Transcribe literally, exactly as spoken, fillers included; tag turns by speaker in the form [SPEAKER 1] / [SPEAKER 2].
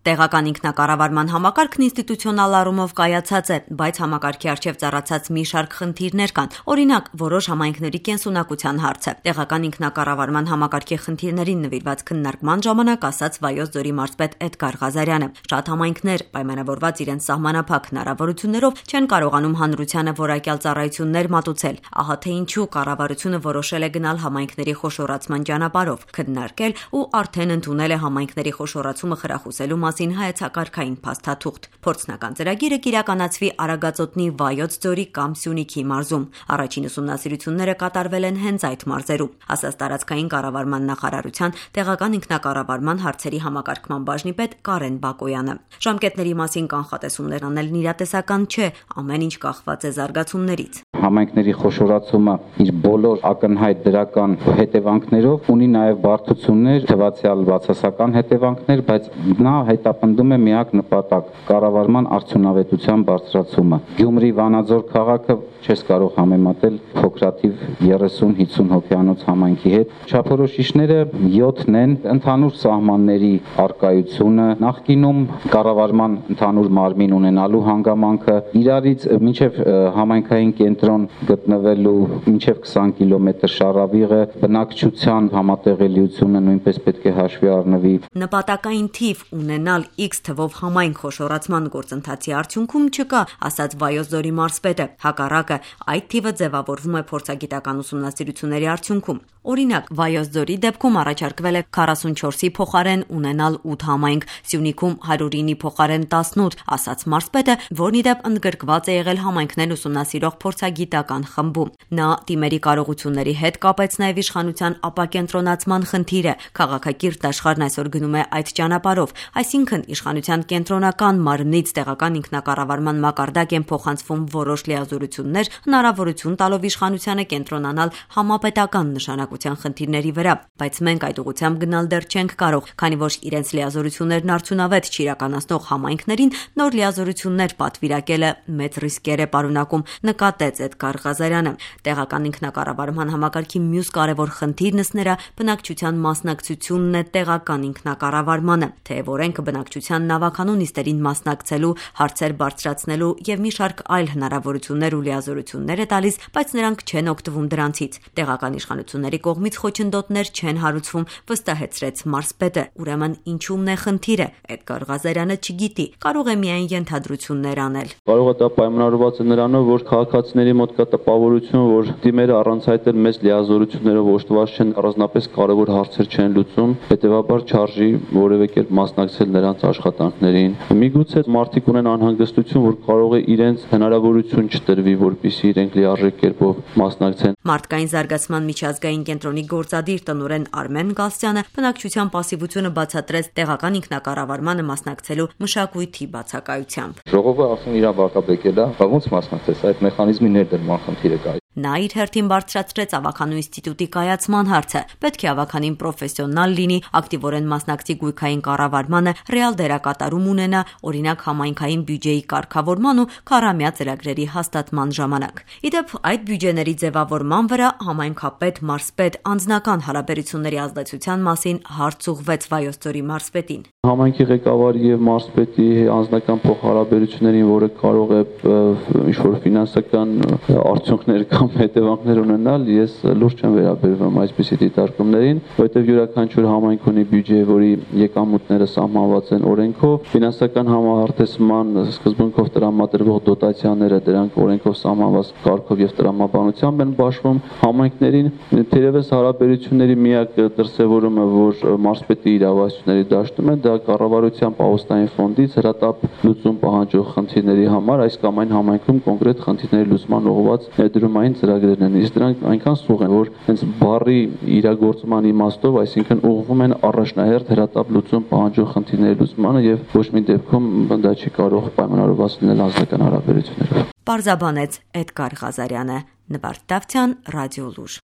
[SPEAKER 1] Տեղական ինքնակառավարման համակարգն ինստիտուցիոնալ առումով կայացած է, բայց համակարգի առջև ծառացած մի շարք խնդիրներ կան, օրինակ որոշ համայնքների կենսունակության հարցը։ Տեղական ինքնակառավարման համակարգի խնդիրներին նվիրված քննարկման ժամանակ ասաց Վայոց ձորի մարզպետ Էդգար Ղազարյանը։ Շատ համայնքներ պայմանավորված իրենց սահմանափակ հնարավորություններով չեն կարողանում հանրությանը որակյալ ծառայություններ մատուցել։ Ահա թե ինչու կառավարությունը որոշել է գնալ համայնքների խոշորացման ճանապարհով, քննարկել ու արդեն ընդունել է համայնքների խոշորացումը խրախուսելու մասին հայեցակարգային փաստաթուղթ։ Փորձնական ծրագիրը կիրականացվի Արագածոտնի Վայոց ձորի կամ Սյունիքի մարզում։ Առաջին ուսումնասիրությունները կատարվել են հենց այդ մարզերում, ասաց տարածքային կառավարման նախարարության տեղական ինքնակառավարման հարցերի համակարգման բաժնի պետ Կարեն Բակոյանը։ Ժամկետների մասին կանխատեսումներ անելն իրատեսական չէ, ամեն ինչ կախված է զարգացումներից։
[SPEAKER 2] Համայնքների խոշորացումը իր բոլոր ակնհայտ դրական հետևանքներով ունի նաև բարդություններ, թվացial բացասական հետևանքներ, բայց նա հետապնդում է միակ նպատակ՝ կառավարման արդյունավետության բարձրացումը։ Գյումրի Վանաձոր քաղաքը չես կարող համեմատել փոքրաթիվ երեսուն հիսուն հոգյանոց համայնքի հետ։ Չափորոշիչները յոթն են, ընդհանուր սահմանների առկայությունը, նախկինում կառավարման ընդհանուր մարմին ունենալու հանգամանքը, իրարից մինչև համայնքային կենտրոն գտնվելու մինչև քսան կիլոմետր շարավիղը, բնակչության համատեղելիությունը նույնպես պետք է հաշվի առնվի։
[SPEAKER 1] Նպատակային թիվ ունենալ X թվով համայնք խոշորացման գործընթացի արդյունքում չկա, ասաց Վայոց ձորի մարզպետը։ Հակառակը, այդ թիվը ձևավորվում է փորձագիտական ուսումնասիրությունների արդյունքում։ Օրինակ, Վայոց ձորի դեպքում առաջարկվել է քառասունչորսի փոխարեն ունենալ ութ համայնք, Սյունիքում հարյուրինի փոխարեն տասնութ, ասաց մարզպետը, որն ի դեպ ընդգրկված է եղել համայնքներ ուսումնասիրող փորձագիտական խմբում։ Նա դիմերի կարողությունների հետ կապեց նաև իշխանության ապակենտրոնացման խնդիրը։ Քաղաքակիրթ աշխարհն այսօր գնում է այդ ճանապարհով, այսինքն իշխանության կենտրոնական մարմնից տեղական ինքնակառավարման մակարդակ են փոխանցվում որոշ լիազորություններ, հնարավորություն տալով իշխանությանը կենտրոնանալ համապետական նշանակության խնդիրների վրա, բայց մենք այդ ուղղությամբ գնալ դեռ չենք կարող, քանի որ իրենց լիազորություններն արդյունավետ չիրականացնող համայնքներին նոր լիազորություններ պատվիրակելը մեծ ռիսկեր է պարունակում, նկատեց Էդգար Ղազարյանը։ Տեղական ինքնակառավարման համակարգի մյուս կարևոր խնդիրն ըստ նրա բնակչության մասնակցությունն է տեղական ինքնակառավարմանը, թեև օրենքը բնակչության նավականու նիստերին մասնակցելու, հարցեր բարձրացնելու եւ մի շարք այլ հնարավորություններ ու լիազորություններ է տալիս, բայց նրանք չեն օգտվում դրանցից։ Տեղական իշխանությունների կողմից խոչընդոտներ չեն հարուցվում, վստահեցրեց մարզպետը։ Ուրեմն ինչու՞մն է խնդիրը։ Էդգար Ղազարյանը չգիտի, կարող է միայն ենթադրություններ անել։
[SPEAKER 3] Կարող է դա պայմանավորված է նրանով, որ քաղաքացիների մոտ կա տպավորություն, որ դիմերը առանց այդ էլ մեծ լիազորություններով օժտված չեն, առանձնապես կարևոր հարցեր չեն լուծում, հետեւաբար չարժի որևէ կերպ մասնակցել նրանց աշխատանքներին։ Միգուցե մարդիկ ունեն անհանգստություն, որ կարող է իրենց հնարավորություն չտրվի, որպեսզի իրենք լիարժեք կերպով մասնակցեն։
[SPEAKER 1] Մարդկային զարգացման միջազգային կենտրոնի գործադիր տնօրեն Արմեն Գալստյանը բնակչության պասիվությունը բացատրեց տեղական ինքնակառավարմանը մասնակցելու մշակույթի բացակայությամբ։
[SPEAKER 4] Ժողովը ասում իր վարկաբեկել է, ո՞նց մասնակցես, այդ մեխանիզմի ներդրման խնդիրը կա։
[SPEAKER 1] Նա իր հերթին բարձրացրեց ավականու ինստիտուտի կայացման հարցը։ Պետք է ավականին պրոֆեսիոնալ լինի, ակտիվորեն մասնակցի գույքային կառավարմանը, ռեալ դերակատարում ունենա, օրինակ համայնքային բյուջեի կարգավորման ու քառամյա ծրագրերի հաստատման ժամանակ։ Իդեպ այդ բյուջեների ձևավորման վրա համայնքապետ մարզպետ անձնական հարաբերությունների ազդեցության մասին հարց ուղղվեց Վայոց ձորի մարզպետին։
[SPEAKER 3] Համայնքի ղեկավարի եւ մարզպետի անձնական փոխհարաբերություններին, որը կարող է ինչ-որ ֆինանսական արդյունքներ կամ հետևանքներ ունենալ, ես լուրջ չեմ վերաբերվում այսպիսի դիտարկումներին, որովհետեւ յուրաքանչյուր համայնք ունի բյուջե, որի եկամուտները սահմանված են օրենքով, ֆինանսական համահարթեսման սկզբունքով տրամադրվող դոտացիաները դրանք օրենքով սահմանված կարգով եւ տրամաբանությամբ են բաշխվում համայնքներին։ Թերևս հարաբերությունների միակ դրսևորումը, որ մարզպետի իրավասությունների դաշտում է, դա կառավարության պահոստային ֆոնդից հրատապ լուծում պահանջող խնդիրների համար այս կամ այն համայնքում կոնկրետ խնդիրների լուծման ուղղված ներդրումային ծրագրերն են։ Իսկ դրանք այնքան սուղ են, որ հենց բառի իրագործման իմաստով, այսինքն ուղղվում են առաջնահերթ հրատապ լուծում պահանջող խնդիրների լուծմանը եւ ոչ մի դեպքում դա չի կարող պայմանավորված լինել անձնական հարաբերություններով։
[SPEAKER 1] Պարզաբանեց Էդգար Ղազարյանը, Նվարդ Դավթյան, Ռադիոլուր։